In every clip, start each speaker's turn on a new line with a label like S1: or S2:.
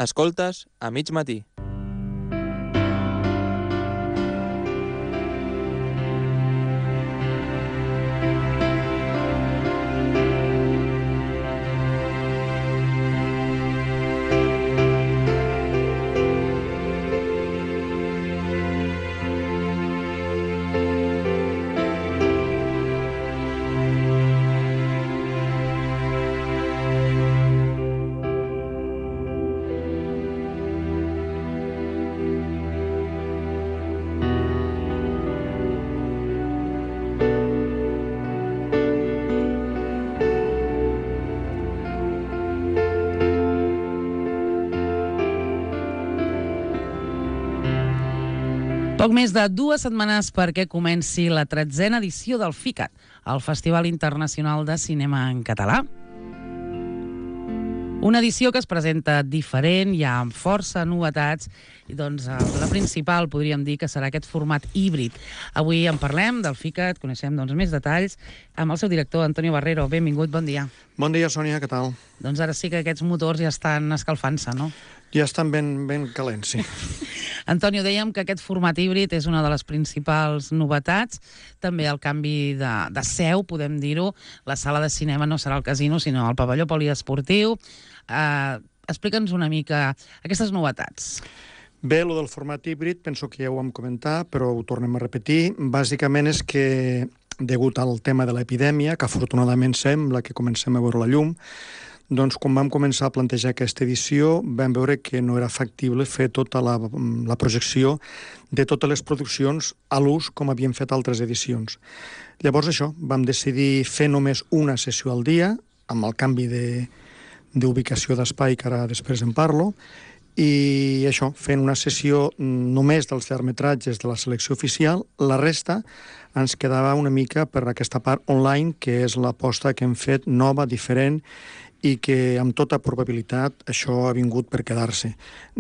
S1: Escoltes a mig matí.
S2: Poc més de 2 setmanes perquè comenci la 13a edició del FICAT, el Festival Internacional de Cinema en Català. Una edició que es presenta diferent, hi ha força novetats, i doncs la principal podríem dir que serà aquest format híbrid. Avui en parlem del FICAT, coneixem més detalls, amb el seu director, Antonio Barrero. Benvingut, bon dia.
S3: Bon dia, Sònia, què tal?
S2: Doncs ara sí que aquests motors ja estan escalfant-se, no?
S3: Ja estan ben calents, sí.
S2: Antonio, dèiem que aquest format híbrid és una de les principals novetats. També el canvi de seu, podem dir-ho. La sala de cinema no serà el casino, sinó el pavelló poliesportiu. Explica'ns una mica aquestes novetats.
S3: Bé, el del format híbrid, penso que ja ho vam comentar, però ho tornem a repetir. Bàsicament és que, degut al tema de l'epidèmia, que afortunadament sembla que comencem a veure la llum, doncs quan vam començar a plantejar aquesta edició vam veure que no era factible fer tota la projecció de totes les produccions a l'ús com havíem fet altres edicions. Llavors això, vam decidir fer només una sessió al dia, amb el canvi d'ubicació d'espai, que ara després en parlo, i això, fent una sessió només dels llargmetratges de la selecció oficial, la resta ens quedava una mica per aquesta part online, que és l'aposta que hem fet nova, diferent, i que amb tota probabilitat això ha vingut per quedar-se.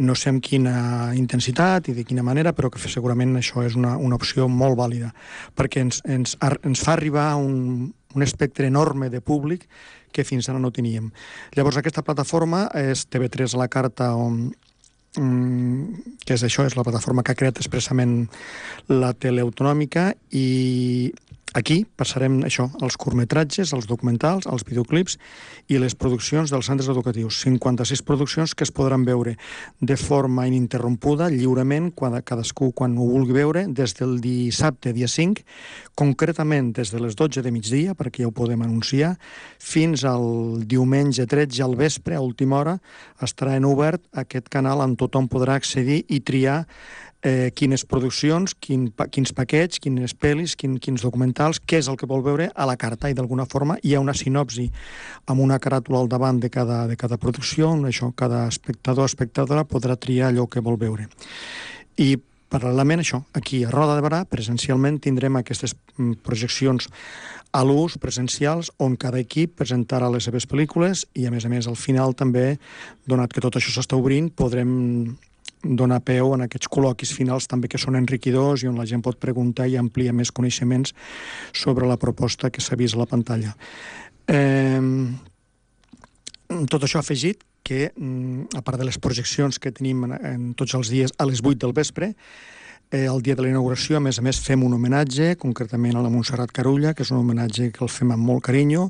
S3: No sé amb quina intensitat i de quina manera, però que segurament això és una opció molt vàlida, perquè ens fa arribar a un espectre enorme de públic que fins ara no teníem. Llavors aquesta plataforma és TV3 a la carta, que és això, és la plataforma que ha creat expressament la tele autonòmica, i aquí passarem això, els curtmetratges, els documentals, els videoclips i les produccions dels centres educatius. 56 produccions que es podran veure de forma ininterrompuda, lliurement, cadascú quan ho vulgui veure, des del dissabte, dia 5, concretament des de les 12 de migdia, perquè ja ho podem anunciar, fins al diumenge 13 al vespre, a última hora, estarà en obert aquest canal on tothom podrà accedir i triar quines produccions, quins paquets, quines pel·lis, quins documentals, què és el que vol veure a la carta, i d'alguna forma hi ha una sinopsi amb una caràtula al davant de cada producció, on això, cada espectador o espectadora podrà triar allò que vol veure. I paral·lelament això, aquí a Roda de Barà, presencialment tindrem aquestes projeccions a l'ús presencials, on cada equip presentarà les seves pel·lícules, i a més al final també, donat que tot això s'està obrint, podrem donar peu en aquests col·loquis finals també, que són enriquidors i on la gent pot preguntar i ampliar més coneixements sobre la proposta que s'ha vist a la pantalla. Tot això ha afegit que, a part de les projeccions que tenim en tots els dies a les 8 del vespre, el dia de la inauguració, a més, fem un homenatge, concretament a la Montserrat Carulla, que és un homenatge que el fem amb molt carinyo.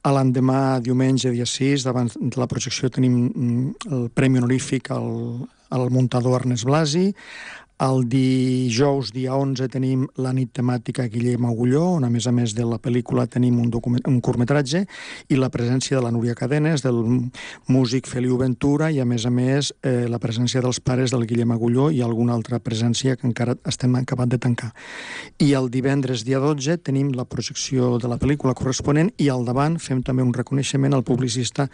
S3: A l'endemà, diumenge, dia 6, davant de la projecció, tenim el premi honorífic al muntador Ernest Blasi. El dijous, dia 11, tenim la nit temàtica Guillem Agulló, on a més de la pel·lícula tenim un curtmetratge, i la presència de la Núria Cadenes, del músic Feliu Ventura, i a més la presència dels pares del Guillem Agulló i alguna altra presència que encara estem acabat de tancar. I el divendres, dia 12, tenim la projecció de la pel·lícula corresponent, i al davant fem també un reconeixement al publicista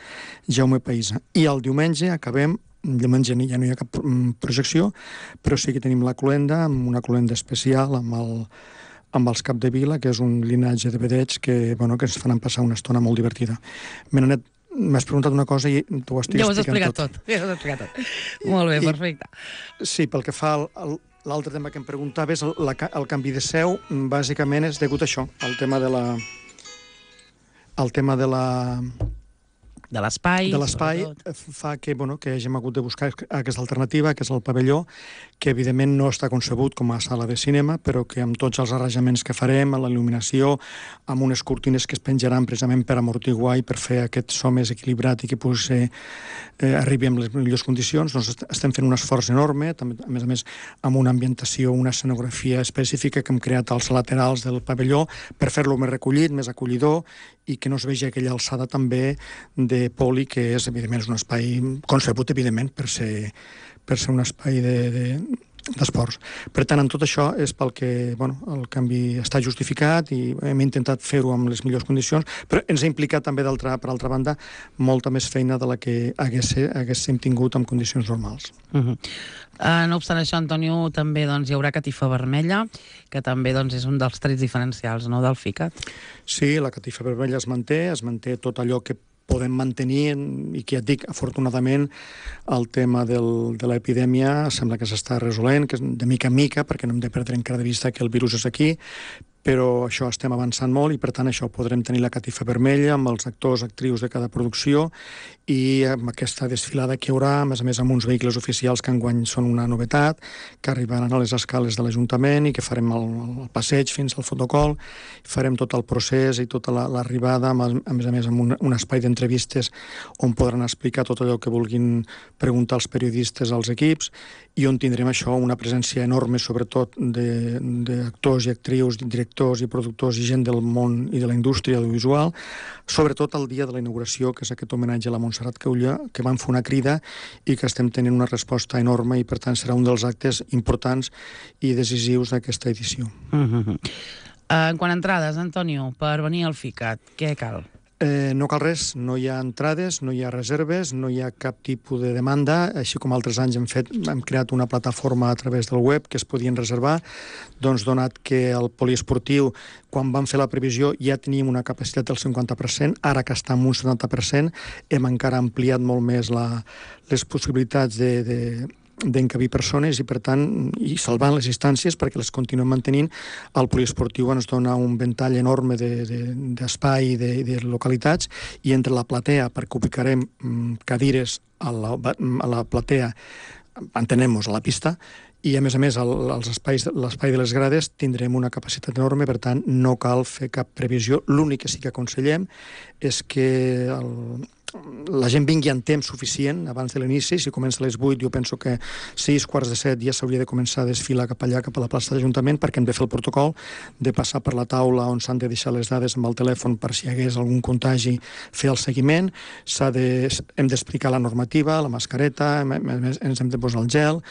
S3: Jaume Païsa. I el diumenge acabem, diumenge ja no hi ha cap projecció, però sí que tenim la cloenda, amb una cloenda especial amb els Capdevila, que és un linatge de vedets que ens faran passar una estona molt divertida. M'has preguntat una cosa i t'ho estic explicant tot.
S2: Ja ho has explicat tot. Molt bé, perfecte. Sí,
S3: pel que fa l'altre tema que em preguntaves, el canvi de seu, bàsicament és degut a això, al tema de la
S2: l'espai.
S3: De l'espai fa que hàgim hagut de buscar aquesta alternativa, que és el pavelló, que evidentment no està concebut com a sala de cinema, però que amb tots els arranjaments que farem, amb la il·luminació, amb unes cortines que es penjaran precisament per amortiguar i per fer aquest so més equilibrat i que arribi amb les millors condicions, doncs estem fent un esforç enorme, també, a més, amb una ambientació, una escenografia específica que hem creat als laterals del pavelló per fer-lo més recollit, més acollidor, i que no es vegi aquella alçada també de poli, que és, evidentment, un espai concebut, evidentment, per ser un espai d'esports. Per tant, en tot això és pel que el canvi està justificat i hem intentat fer-ho amb les millors condicions, però ens ha implicat també, per altra banda, molta més feina de la que haguéssim tingut en condicions normals.
S2: No obstant això, Antonio, també hi haurà catifa vermella, que també és un dels trets diferencials del FICAT.
S3: Sí, la catifa vermella es manté tot allò que podem mantenir, i que ja et dic, afortunadament, el tema de l'epidèmia sembla que s'està resolent, que és de mica en mica, perquè no hem de perdre encara de vista que el virus és aquí, però això estem avançant molt i, per tant, això podrem tenir la catifa vermella amb els actors, actrius de cada producció i amb aquesta desfilada que hi haurà, a més, amb uns vehicles oficials que enguany són una novetat, que arribaran a les escales de l'Ajuntament i que farem el passeig fins al fotocol, farem tot el procés i tota l'arribada, a més, amb un espai d'entrevistes on podran explicar tot allò que vulguin preguntar els periodistes als equips i on tindrem això, una presència enorme, sobretot d'actors i actrius, directors i productors i gent del món i de la indústria audiovisual, sobretot el dia de la inauguració, que és aquest homenatge a la Montserrat Caullà, que van fer una crida i que estem tenint una resposta enorme i, per tant, serà un dels actes importants i decisius d'aquesta edició.
S2: En quant a entrades, Antonio, per venir al FICAT, què cal?
S3: No cal res, no hi ha entrades, no hi ha reserves, no hi ha cap tipus de demanda, així com altres anys hem creat una plataforma a través del web que es podien reservar, doncs donat que el poliesportiu, quan vam fer la previsió, ja teníem una capacitat del 50%, ara que està en un 70%, hem encara ampliat molt més les possibilitats d'encabir persones i, per tant, i salvant les instàncies perquè les continuem mantenint. El poliesportiu ens dona un ventall enorme d'espai i de localitats, i entre la platea, perquè ubicarem cadires a la platea, entenem-nos, a la pista, i, a més, l'espai de les grades tindrem una capacitat enorme, per tant, no cal fer cap previsió. L'únic que sí que aconsellem és que la gent vingui en temps suficient abans de l'inici. Si comença a les 8, jo penso que 6, quarts de 7 ja s'hauria de començar a desfilar cap allà, cap a la plaça de l'Ajuntament, perquè hem de fer el protocol, de passar per la taula on s'han de deixar les dades amb el telèfon per si hi hagués algun contagi, fer el seguiment, hem d'explicar la normativa, la mascareta, ens hem de posar el gel,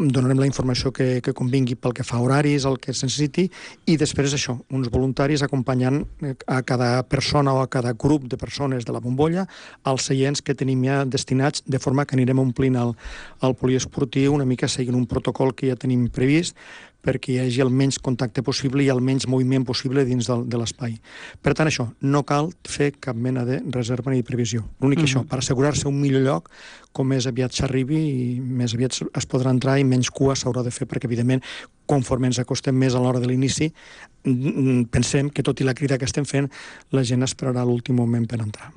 S3: donarem la informació que convingui pel que fa a horaris, el que es necessiti, i després això, uns voluntaris acompanyant a cada persona o a cada grup de persones de la bombolla als seients que tenim ja destinats, de forma que anirem omplint el poliesportiu una mica seguint un protocol que ja tenim previst perquè hi hagi el menys contacte possible i el menys moviment possible dins de l'espai. Per tant, això, no cal fer cap mena de reserva ni de previsió. L'únic això, per assegurar-se un millor lloc, com més aviat s'arribi i més aviat es podrà entrar i menys cua s'haurà de fer, perquè, evidentment, conforme ens acostem més a l'hora de l'inici, pensem que, tot i la crida que estem fent, la gent esperarà l'últim moment per entrar.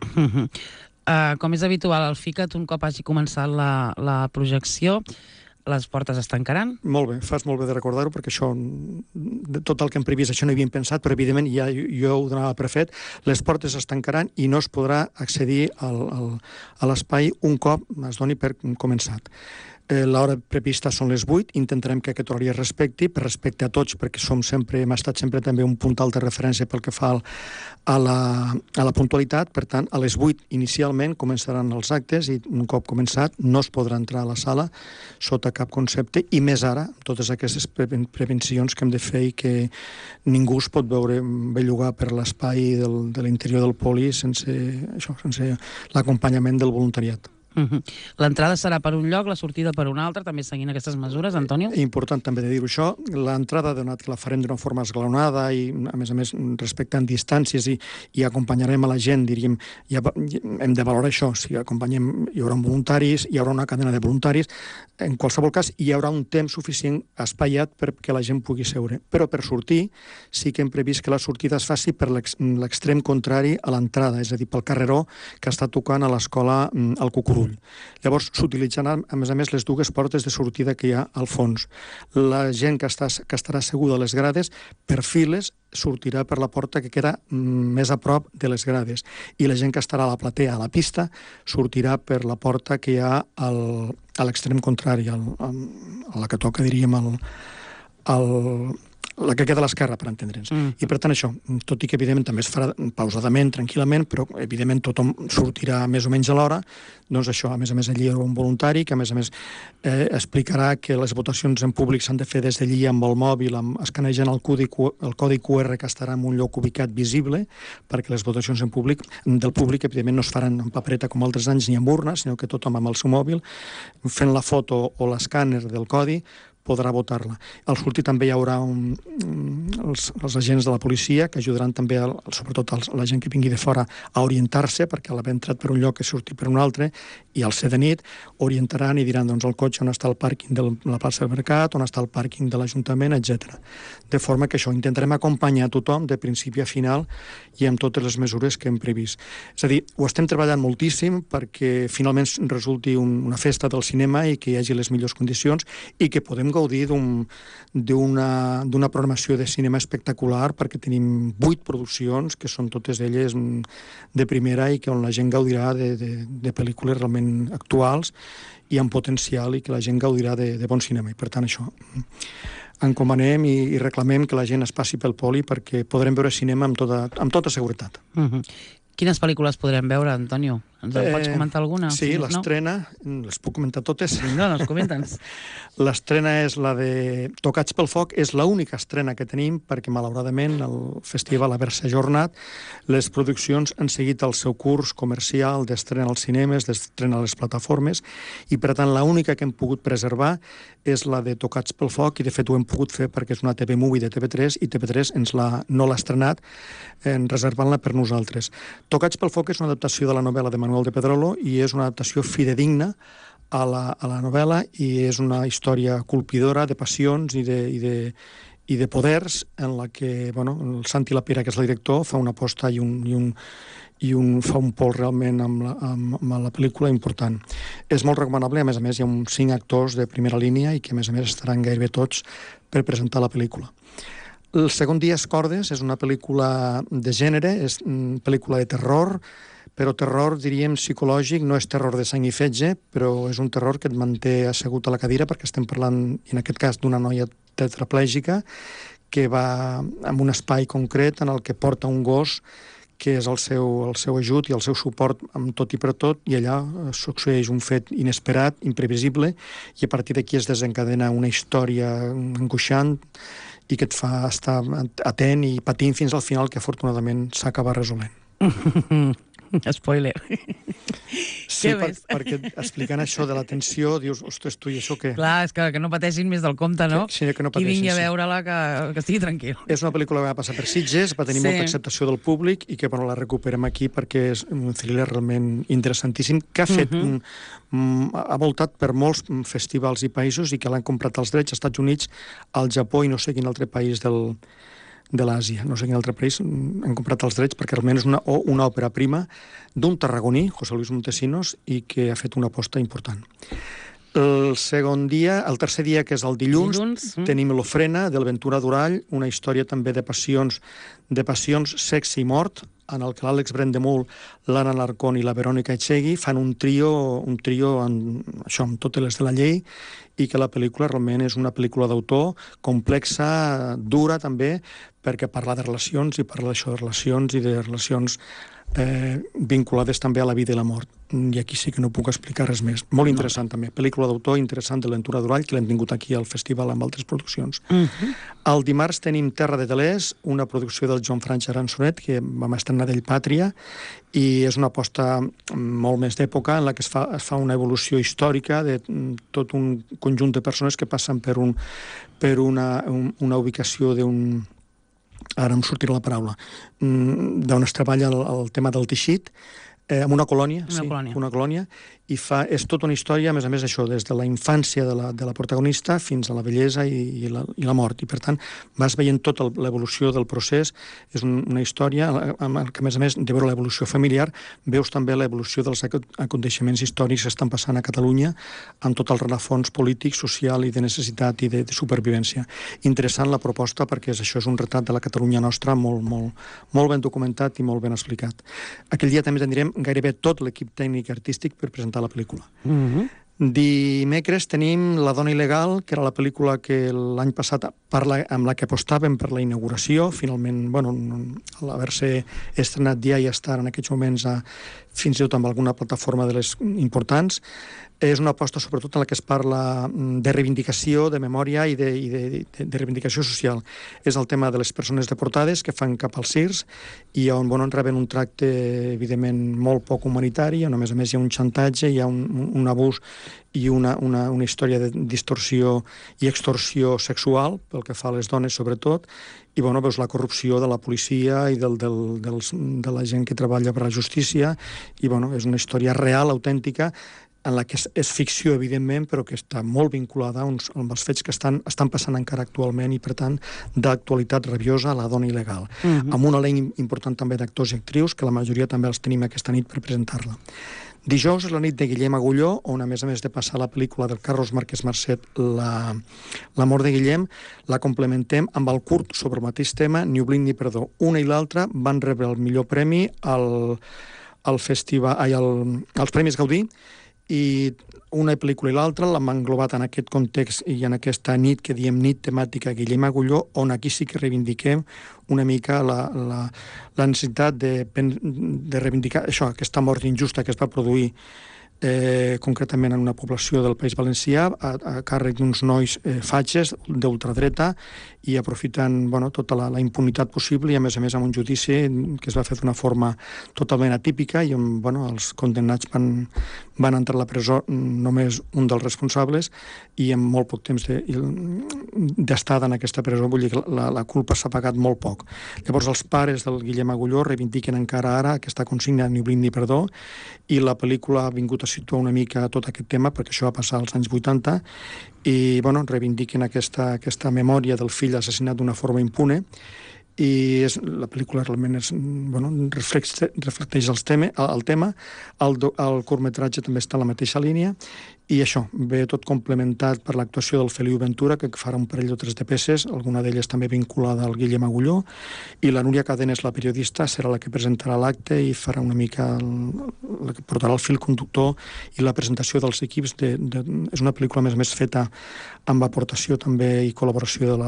S2: Com és habitual al FICAT, un cop hagi començat la projecció, les portes es tancaran?
S3: Molt bé, fas molt bé de recordar-ho, perquè això, tot el que hem previst, això no hi havíem pensat, però evidentment ja jo ho donava per fet, les portes es tancaran i no es podrà accedir a l'espai un cop es doni per començat. L'hora prevista són les 8, intentarem que aquest horari es respecti, per respecte a tots, perquè hem estat sempre també un puntal de referència pel que fa a la puntualitat. Per tant, a les 8 inicialment començaran els actes i un cop començat no es podrà entrar a la sala sota cap concepte, i més ara, totes aquestes prevencions que hem de fer i que ningú es pot veure bellugar per l'espai de l'interior del poli sense l'acompanyament del voluntariat.
S2: L'entrada serà per un lloc, la sortida per un altre, també seguint aquestes mesures, Antonio?
S3: Important també de dir-ho això. L'entrada, donat que la farem d'una forma esglaonada i, a més, respectant distàncies i acompanyarem a la gent, diríem, hem de valorar això. Si acompanyem, hi haurà voluntaris, hi haurà una cadena de voluntaris. En qualsevol cas, hi haurà un temps suficient espaiat perquè la gent pugui seure. Però per sortir, sí que hem previst que la sortida es faci per l'extrem contrari a l'entrada, és a dir, pel carreró que està tocant a l'escola al Cucurull. Llavors, s'utilitzaran, a més, les dues portes de sortida que hi ha al fons. La gent que estarà asseguda a les grades, per files, sortirà per la porta que queda més a prop de les grades. I la gent que estarà a la platea, a la pista, sortirà per la porta que hi ha a l'extrem contrari, a la que toca, diríem, la que queda a l'esquerra, per entendre'ns. I per tant això, tot i que evidentment també es farà pausadament, tranquil·lament, però evidentment tothom sortirà més o menys a l'hora, doncs això, a més allí hi haurà un voluntari que a més explicarà que les votacions en públic s'han de fer des d'allí amb el mòbil, escanejant el codi QR que estarà en un lloc ubicat visible, perquè les votacions del públic evidentment no es faran en papereta com altres anys ni amb urnes, sinó que tothom amb el seu mòbil, fent la foto o l'escàner del codi, podrà votar-la. Al sortir també hi haurà els agents de la policia que ajudaran també, sobretot la gent que vingui de fora, a orientar-se, perquè a l'haver entrat per un lloc que sortir per un altre, i al ser de nit, orientaran i diran el cotxe on està el pàrquing de la plaça del Mercat, on està el pàrquing de l'Ajuntament, etc. De forma que això, intentarem acompanyar tothom de principi a final i amb totes les mesures que hem previst. És a dir, ho estem treballant moltíssim perquè finalment resulti una festa del cinema i que hi hagi les millors condicions i que podem gaudir d'una programació de cinema espectacular, perquè tenim 8 produccions que són totes elles de primera i que on la gent gaudirà de pel·lícules realment actuals i amb potencial i que la gent gaudirà de bon cinema. I per tant això, encomanem i reclamem que la gent es passi pel Poli perquè podrem veure cinema amb tota seguretat.
S2: Quines pel·lícules podrem veure, Antonio? Ens en pots comentar alguna?
S3: Sí, l'estrena, les puc comentar totes?
S2: No, comenta'ns.
S3: L'estrena és la de Tocats pel foc, és l'única estrena que tenim perquè, malauradament, el festival haver-se ajornat, les produccions han seguit el seu curs comercial d'estrena als cinemes, d'estrena a les plataformes, i per tant l'única que hem pogut preservar és la de Tocats pel foc, i de fet ho hem pogut fer perquè és una TV Movie de TV3 i TV3 no l'ha estrenat, reservant-la per nosaltres. Tocats pel foc és una adaptació de la novel·la de Manuel de Pedrolo i és una adaptació fidedigna a la novel·la i és una història colpidora de passions i de poders en la que el Santi Lapera, que és el director, fa una aposta i fa un pols realment amb la pel·lícula important. És molt recomanable, a més hi ha uns 5 actors de primera línia i que a més estaran gairebé tots per presentar la pel·lícula. El segon dia és Cordes, és una pel·lícula de gènere, és una pel·lícula de terror, però terror, diríem, psicològic, no és terror de sang i fetge, però és un terror que et manté assegut a la cadira perquè estem parlant, en aquest cas, d'una noia tetraplègica que va en un espai concret en el que porta un gos que és el seu ajut i el seu suport amb tot i per tot, i allà succeeix un fet inesperat, imprevisible, i a partir d'aquí es desencadena una història angoixant i que et fa estar atent i patint fins al final, que afortunadament s'acaba resolent.
S2: Spoiler.
S3: Sí, perquè explicant això de la tensió, dius, ostres, tu, i això què?
S2: Clar, és que no pateixin més del compte, no?
S3: Sí, que no pateixin.
S2: Qui vingui a veure-la, que estigui tranquil.
S3: És una pel·lícula que va passar per Sitges, va tenir molta acceptació del públic i que la recuperem aquí perquè és un thriller realment interessantíssim que ha fet ha voltat per molts festivals i països i que l'han comprat als drets als Estats Units, al Japó i no sé quin altre país de l'Àsia. No sé quin altre país han comprat els drets perquè realment és una òpera prima d'un tarragoní, José Luis Montesinos, i que ha fet una aposta important. El tercer dia, que és el dilluns, tenim L'Ofrena, del Ventura Durall, una història també de passions, sexe i mort, en el que l'Àlex Brendemul, l'Anna Larcón i la Verònica Echegui fan un trio amb totes les de la llei, i que la pel·lícula realment és una pel·lícula d'autor, complexa, dura també, perquè parla de relacions i parla d'això de relacions i de relacions vinculades també a la vida i la mort. I aquí sí que no puc explicar res més. Molt interessant també. Pel·lícula d'autor interessant de l'Entura Durall, que l'hem tingut aquí al festival amb altres produccions. El dimarts tenim Terra de Telers, una producció del Joan França Aransonet, que vam estrenar d'ell Pàtria, i és una aposta molt més d'època en la que es fa una evolució històrica de tot un conjunt de persones que passen per una ubicació d'un... Ara em sortirà la paraula, d'on es treballa el tema del teixit, en una colònia, una colònia, i és tota una història, a més, això, des de la infància de la protagonista fins a la vellesa i la mort. I, per tant, vas veient tota l'evolució del procés. És una història que, a més, de veure l'evolució familiar, veus també l'evolució dels aconteixements històrics que estan passant a Catalunya amb tot el rerefons polític, social i de necessitat i de supervivència. Interessant la proposta perquè això és un retrat de la Catalunya nostra molt ben documentat i molt ben explicat. Aquell dia també tindrem gairebé tot l'equip tècnic i artístic per presentar la pel·lícula. Dimecres tenim La dona il·legal, que era la pel·lícula que l'any passat amb la que apostàvem per la inauguració. Finalment, al haver-se estrenat ja i estar en aquests moments fins i tot amb alguna plataforma de les importants, és una aposta sobretot en la que es parla de reivindicació, de memòria i de reivindicació social. És el tema de les persones deportades que fan cap als CIRS i on reben un tracte, evidentment, molt poc humanitari, on a més hi ha un xantatge, hi ha un abús i una història de distorsió i extorsió sexual, pel que fa a les dones sobretot, i veus la corrupció de la policia i de la gent que treballa per la justícia, i és una història real, autèntica, en la que és ficció, evidentment, però que està molt vinculada amb els fets que estan passant encara actualment i, per tant, d'actualitat rabiosa, La dona il·legal. Amb un elenc important també d'actors i actrius, que la majoria també els tenim aquesta nit per presentar-la. Dijous és la nit de Guillem Agulló, on, a més de passar la pel·lícula del Carlos Márquez Marcet, La mort de Guillem, la complementem amb el curt sobre el mateix tema, Ni oblid ni perdó. Una i l'altra van rebre el millor premi als Premis Gaudí, i una pel·lícula i l'altra l'hem englobat en aquest context i en aquesta nit que diem nit temàtica Guillem Agulló, on aquí sí que reivindiquem una mica la necessitat de reivindicar això, aquesta mort injusta que es va produir concretament en una població del País Valencià a càrrec d'uns nois fatxes d'ultradreta i aprofitant tota la impunitat possible i a més amb un judici que es va fer d'una forma totalment atípica i on els condemnats van entrar a la presó només un dels responsables i amb molt poc temps d'estada en aquesta presó, vull dir que la culpa s'ha pagat molt poc. Llavors els pares del Guillem Agulló reivindiquen encara ara aquesta consigna Ni oblid ni perdó i la pel·lícula ha vingut a situar una mica tot aquest tema perquè això va passar als anys 80 i reivindiquen aquesta memòria del fill assassinat d'una forma impune i la pel·lícula realment reflecteix el tema. El curtmetratge també està en la mateixa línia i això, ve tot complementat per l'actuació del Feliu Ventura, que farà un parell o tres de peces, alguna d'elles també vinculada al Guillem Agulló, i la Núria Cadenes, la periodista, serà la que presentarà l'acte i farà una mica la que portarà el fil conductor i la presentació dels equips. És una pel·lícula, a més feta amb aportació també i col·laboració de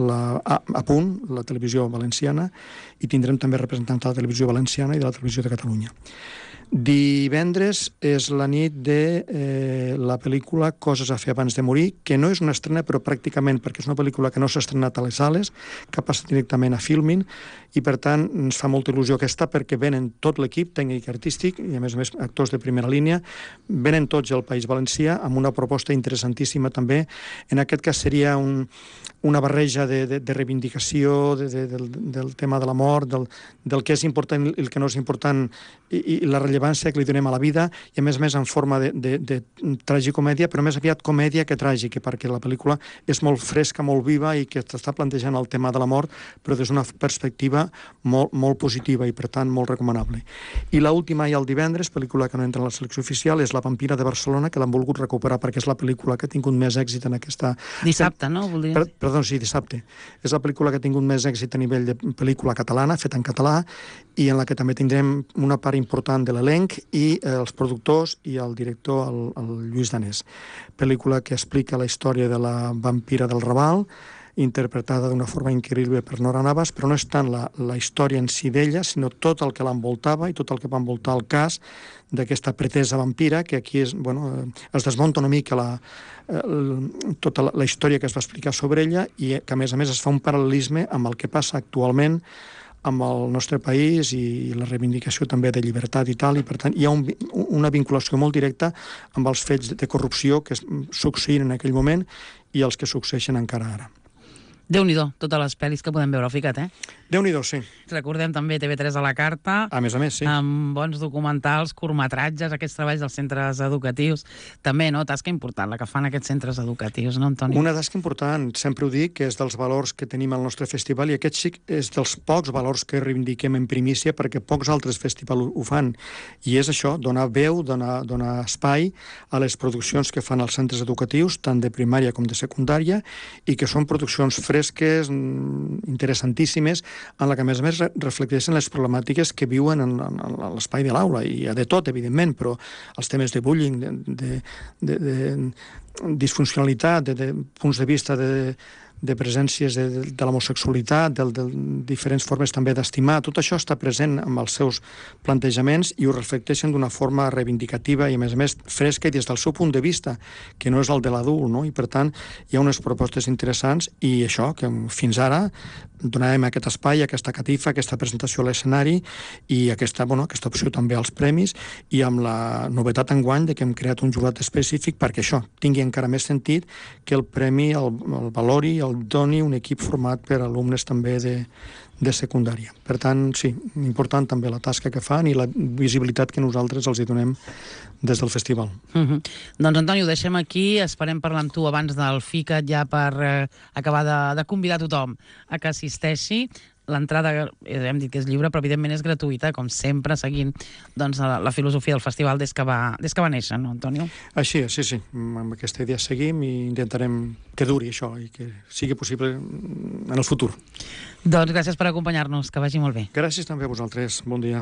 S3: A Punt, la televisió valenciana, i tindrem també representants de la televisió valenciana i de la televisió de Catalunya. Divendres és la nit de la pel·lícula Coses a fer abans de morir, que no és una estrena, però pràcticament, perquè és una pel·lícula que no s'ha estrenat a les sales, que ha passat directament a Filmin, i per tant ens fa molta il·lusió aquesta, perquè venen tot l'equip tècnic i artístic, i a més actors de primera línia, venen tots al País Valencià, amb una proposta interessantíssima també. En aquest cas seria una barreja de reivindicació del tema de la mort, del que és important i el que no és important, i la rellevància que li donem a la vida, i a més en forma de tragicomèdia, però més aviat comèdia que tràgica, perquè la pel·lícula és molt fresca, molt viva, i que està plantejant el tema de la mort, però des d'una perspectiva molt positiva i, per tant, molt recomanable. I l'última, i el divendres, pel·lícula que no entra en la selecció oficial, és La vampira de Barcelona, que l'han volgut recuperar perquè és la pel·lícula que ha tingut més èxit en aquesta...
S2: Dissabte, no?
S3: Perdó, sí, dissabte. És la pel·lícula que ha tingut més èxit a nivell de pel·lícula catalana, feta en català, i en la que també tindrem una part important de l'elenc i els productors i el director, el Lluís Danés. Pel·lícula que explica la història de la vampira del Raval, interpretada d'una forma increïble per Nora Navas, però no és tant la història en si d'ella, sinó tot el que l'envoltava i tot el que va envoltar el cas d'aquesta pretesa vampira, que aquí es desmunta una mica tota la història que es va explicar sobre ella i que, a més es fa un paral·lelisme amb el que passa actualment amb el nostre país i la reivindicació també de llibertat i tal, i per tant hi ha una vinculació molt directa amb els fets de corrupció que succeïen en aquell moment i els que succeeixen encara ara.
S2: Déu-n'hi-do, totes les pel·lis que podem veure al Ficat,
S3: Déu-n'hi-do, sí.
S2: Recordem també TV3 a la carta.
S3: A més, sí.
S2: Amb bons documentals, curtmetratges, aquests treballs dels centres educatius. També, no? Tasca important, la que fan aquests centres educatius, no, Antoni?
S3: Una tasca important, sempre ho dic, que és dels valors que tenim al nostre festival, i aquest sí és dels pocs valors que reivindiquem en primícia, perquè pocs altres festivals ho fan. I és això, donar veu, donar espai a les produccions que fan els centres educatius, tant de primària com de secundària, i que són produccions fresques, interessantíssimes, en la que, a més, reflecteixen les problemàtiques que viuen en l'espai de l'aula. I hi ha de tot, evidentment, però els temes de bullying, de disfuncionalitat, de punts de vista de presències de l'homosexualitat, de diferents formes també d'estimar, tot això està present amb els seus plantejaments i ho reflecteixen d'una forma reivindicativa i, a més, fresca i des del seu punt de vista, que no és el de l'adult, no? I, per tant, hi ha unes propostes interessants i això, que fins ara donàvem aquest espai, aquesta catifa, aquesta presentació a l'escenari i aquesta opció també als premis, i amb la novetat enguany de que hem creat un jurat específic perquè això tingui encara més sentit, que el premi el valori, el doni un equip format per alumnes també de secundària. Per tant, sí, important també la tasca que fan i la visibilitat que nosaltres els hi donem des del festival.
S2: Doncs, Antoni, ho deixem aquí. Esperem parlar amb tu abans del FICAT ja per acabar de convidar tothom a que assisteixi. L'entrada, hem dit que és lliure, però evidentment és gratuïta, com sempre, seguint la filosofia del festival des que va néixer, no, Antonio?
S3: Així és, sí. Amb aquesta idea seguim i intentarem que duri això i que sigui possible en el futur.
S2: Doncs gràcies per acompanyar-nos, que vagi molt bé.
S3: Gràcies també a vosaltres. Bon dia.